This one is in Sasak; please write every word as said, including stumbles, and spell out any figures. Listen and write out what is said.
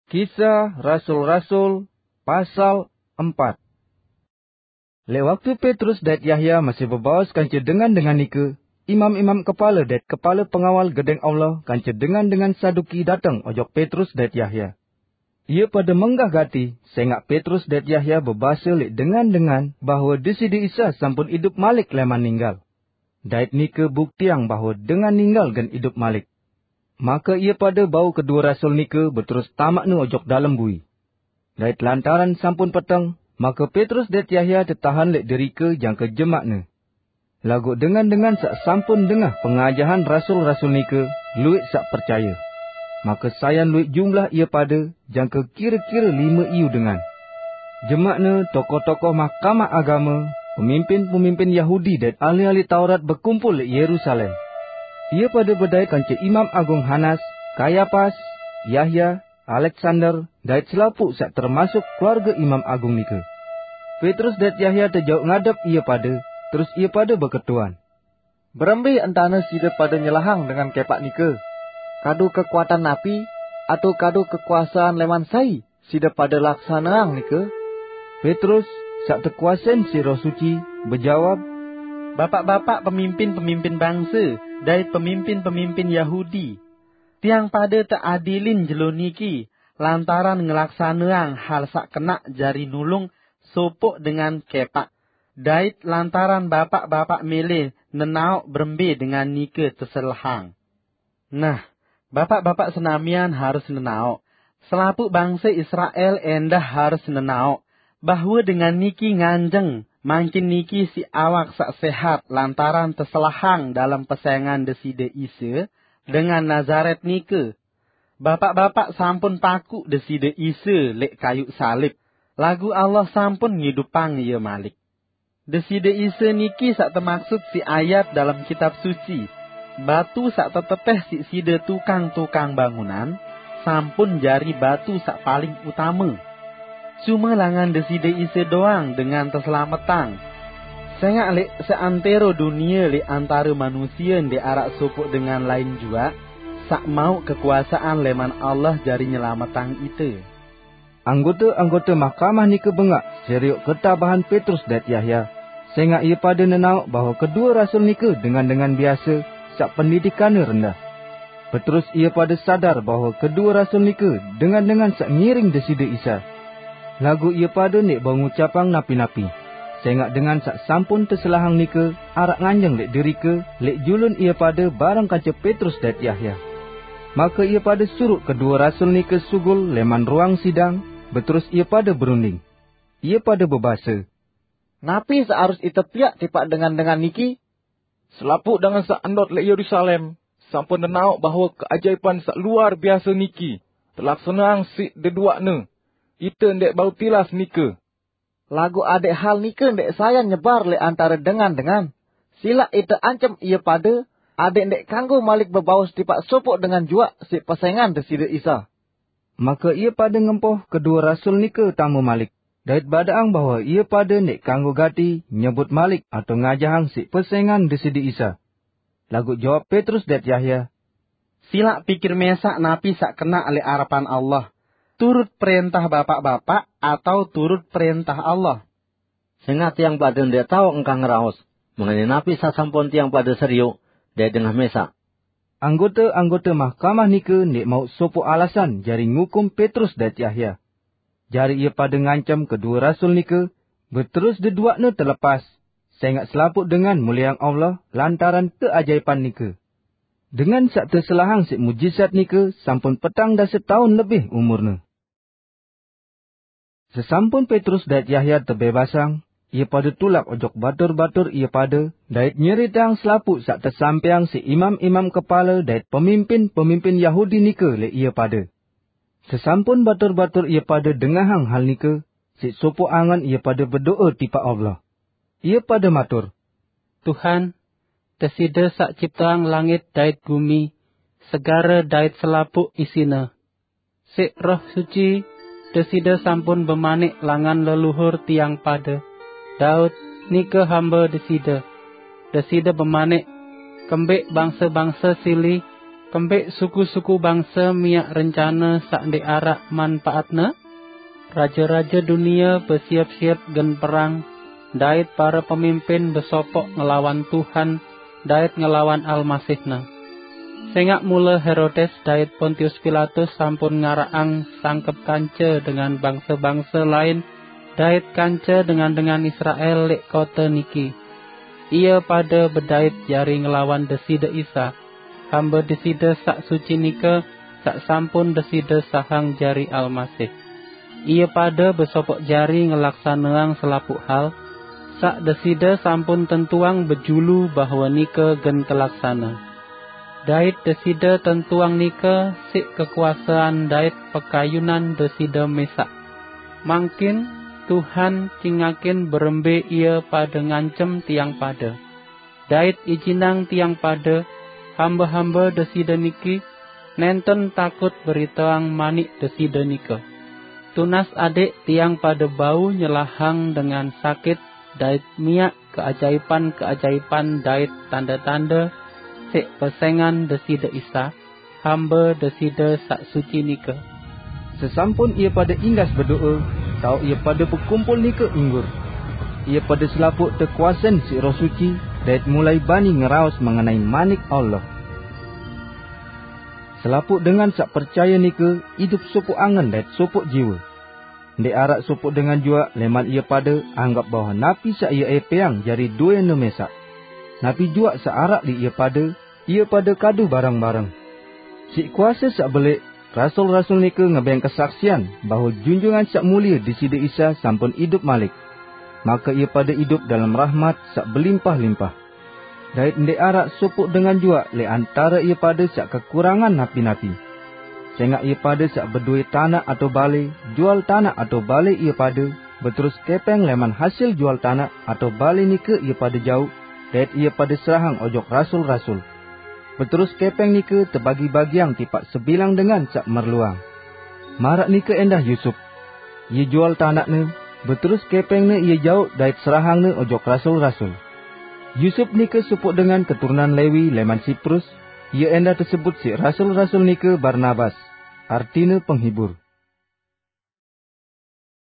Kisah Rasul-Rasul, pasal empat. Lewat waktu Petrus dait Yahya masih bebaos kance dengan-dengan nike, imam-imam kepala dait kepala pengawal gedeng Allah kance dengan-dengan Saduki dateng ojok Petrus dait Yahya. Ia pada menggah gati, sengak Petrus dait Yahya bebasa lek dengan-dengan bahwa Deside Isa sampun idup malik leman ninggal. Dait nike buktiang bahwa dengan ninggal gen idup malik. Maka ia pada bau kedua rasul nike beterus tamakne ojok dalem bui. Dait lantaran sampun peteng, maka Petrus dait Yahya tetahan lek derike jangka jemakne. Laguq dengan-dengan saq sampun dengah pengajahan rasul-rasul nike lueq saq percaye. Maka sayan lueq jumlah ie pade jangke kire-kire lime iyu dengan. Jemakne tokoh-tokoh mahkamah agame, pemimpin-pemimpin Yahudi dait ahli-ahli Taurat bekumpul leq Yerusalem. Ie pade bedait kance Imam Agung Hanas, Kayapas, Yahya, Aleksander, dait selapuq saq termasuk keluarge Imam Agung nike. Petrus dait Yahya tejauq ngadep ie pade, terus ie pade beketuan. Berembe entane side pade nyelahang dengan kepaq nike? Kadu kekuatan napi, atau kadu kekuasaan leman sai side pade laksaneang nike? Petrus, saq tekuasein siq Roh Suci, bejawab, "Bapaq-bapaq pemimpin-pemimpin bangse dait pemimpin-pemimpin Yahudi, tiang pade teadilin jelo niki lantaran ngelaksaneang hal saq kenaq jari nulung sopoq dengan kepaq, dait lantaran bapaq-bapaq mele nenaoq berembe dengan nike teselahang. Nah, bapaq-bapaq senamian harus nenaoq, selapuq bangse Israel endah harus nenaoq, bahwe dengan niki nganjeng mangkin niki siq awak saq sehat lantaran teselahang dalem pesengan Deside Isa dengan Nazaret nike. Bapaq-bapaq sampun pakuq Deside Isa leq kayuq salib, laguq Allah sampun ngidupang Ie malik. Deside Isa niki saq temaksud siq ayat dalem Kitab Suci, 'Batu saq tetepeh siq side tukang-tukang bangunan, sampun jari batu saq paling utame.' Cume langan Deside Isa doang dengan teslametang. Sengaq leq seantero dunie leq antare manusie ndeq araq sopoq dengan lain juaq saq mauq kekuasaan leman Allah jari nyelametang ite." Anggote-anggote mahkamah nike bengaq serioq ketabahan Petrus dait Yahya, sengaq ie pade nenaoq bahwe kedue rasul nike dengan-dengan biase saq pendidikanne rendah. Beterus ie pade sadar bahwe kedue rasul nike dengan-dengan saq ngiring Deside Isa. Laguq ie pade ndeq bau ngucapang napi-napi, sengaq dengan saq sampun teselahang nike araq nganjeng leq derike leq julun ie pade bareng kance Petrus dait Yahya. Make ie pade suruq kedue rasul nike sugul leman ruang sidang, beterus ie pade berunding. Ie pade bebase, "Napi saq harus ite piaq tipaq dengan-dengan niki? Selapuq dengan saq ndot leq Yerusalem sampun nenaoq bahwe keajaipan saq luar biase niki telaksaneang siq deduaqne. Ite ndeq bau tilas nike. Laguq adeq hal nike ndeq sayan nyebar leq antare dengan-dengan, silaq ite ancem ie pade adeq ndeq kanggo malik bebaos tipaq sopoq dengan juaq siq pesengan Deside Isa." Make ie pade ngempoh kedue rasul nike tame malik, dait badaqang bahwe ie pade ndeq kanggo gati nyebut malik atau ngajahang siq pesengan Deside Isa. Laguq jawab Petrus dait Yahya, "Silaq pikir mesaq napi saq kenaq leq arepan Allah, turut prentah bapaq-bapaq atau turut prentah Allah?" "Sengaq tiang pade ndeq tao engkah ngeraos mengenai napi saq sampun tiang pade serioq dait dengah mesaq." Anggote-anggote mahkamah nike ndeq mauq sopoq alasan jari ngukum Petrus dait Yahya. Jari ie pade ngancem kedue rasul nike, beterus deduaqne telepas, sengaq selapuq dengan mulieang Allah lantaran keajaipan nike. Dengan saq teselahang siq mujizat nike sampun petang dase taun lebih umurne. Sesampun Petrus dait Yahya tebebasang, ie pade tulak ojok batur-batur ie pade dait nyeriteang selapuq saq tesampaiang siq imam-imam kepale dait pemimpin-pemimpin Yahudi nike leq ie pade. Sesampun batur-batur ie pade dengahang hal nike, siq sopoq angen ie pade bedoe tipaq Allah. Ie pade matur, "Tuhan, Deside saq cipteang langit dait gumi, segare dait selapuq isine. Siq Roh Suci, Deside sampun bemanik langan leluhur tiang pade, Daud, nike hambe Deside. Deside bemanik, 'Kembeq bangse-bangse sili Kembeq suku-suku bangse miaq rencane saq ndeq araq manpaatne? Raje-raje dunie besiep-siep gen perang, dait pare pemimpin besopoq ngelawan Tuhan dait ngelawan Almasih-Ne. Sengaq mule Herodes dait Pontius Pilatus sampun ngaraqang sangkep kance dengan bangse-bangse lain dait kance dengan-dengan Israel leq kote niki. Ie pade bedait jari ngelawan Deside Isa, hambe Deside Saq Suci nike, saq sampun Deside sahang jari Almasih. Ie pade besopoq jari ngelaksaneang selapuq hal, saq Deside sampun tentuang bejulu bahwe nike gen telaksane. Dait Deside tentuang nike siq kekuasean dait pekayunan Deside mesaq. Mangkin Tuhan cingakin berembe ie pade ngancem tiang pade. Dait ijinang tiang pade, hambe-hambe Deside niki, nenten takut beriteang manik Deside nike. Tunas adeq tiang pade bau nyelahang dengan sakit dait miaq keajaipan-keajaipan dait tande-tande siq pesengan Deside Isa, hambe Deside Saq Suci nike. Sesampun ie pade inggas bedoe, taoq ie pade bekumpul nike inggur. Ie pade selapuq tekuasen siq Roh Suci, dait mulai bani ngeraos mengenai Manik Allah. Selapuq dengan saq percaye nike idup sopoq angen dait sopoq jiwe. Ndeq araq sopoq dengan juaq leman ie pade anggep bahwe napi saq ie epeang jari duene mesaq. Napi juaq saq araq leq ie pade, ie pade kadu bareng-bareng. Siq kuase saq beleq, rasul-rasul nike ngebeng kesaksian bahwe Junjungan Saq Mulie Deside Isa sampun idup malik. Make ie pade idup dalem rahmat saq belimpah-limpah. Dait ndeq araq sopoq dengan juaq leq antare ie pade saq kekurangan napi-napi. Sengaq ie pade saq bedoe tanaq atao bale, jual tanaq atao bale ie pade, beterus kepeng leman hasil jual tanaq atao bale nike ie pade jauq, dait ie pade serahang ojok rasul-rasul. Beterus kepeng nike tebagi-bagiang tipaq sebilang dengan saq merluang. Maraq nike endah Yusup. Ie jual tanaqne, beterus kepengne ie jauq dait serahangne ojok rasul-rasul. Yusup nike sopoq dengan keturunan Lewi leman Siprus, ie endah tesebut siq rasul-rasul nike Barnabas, artine Penghibur.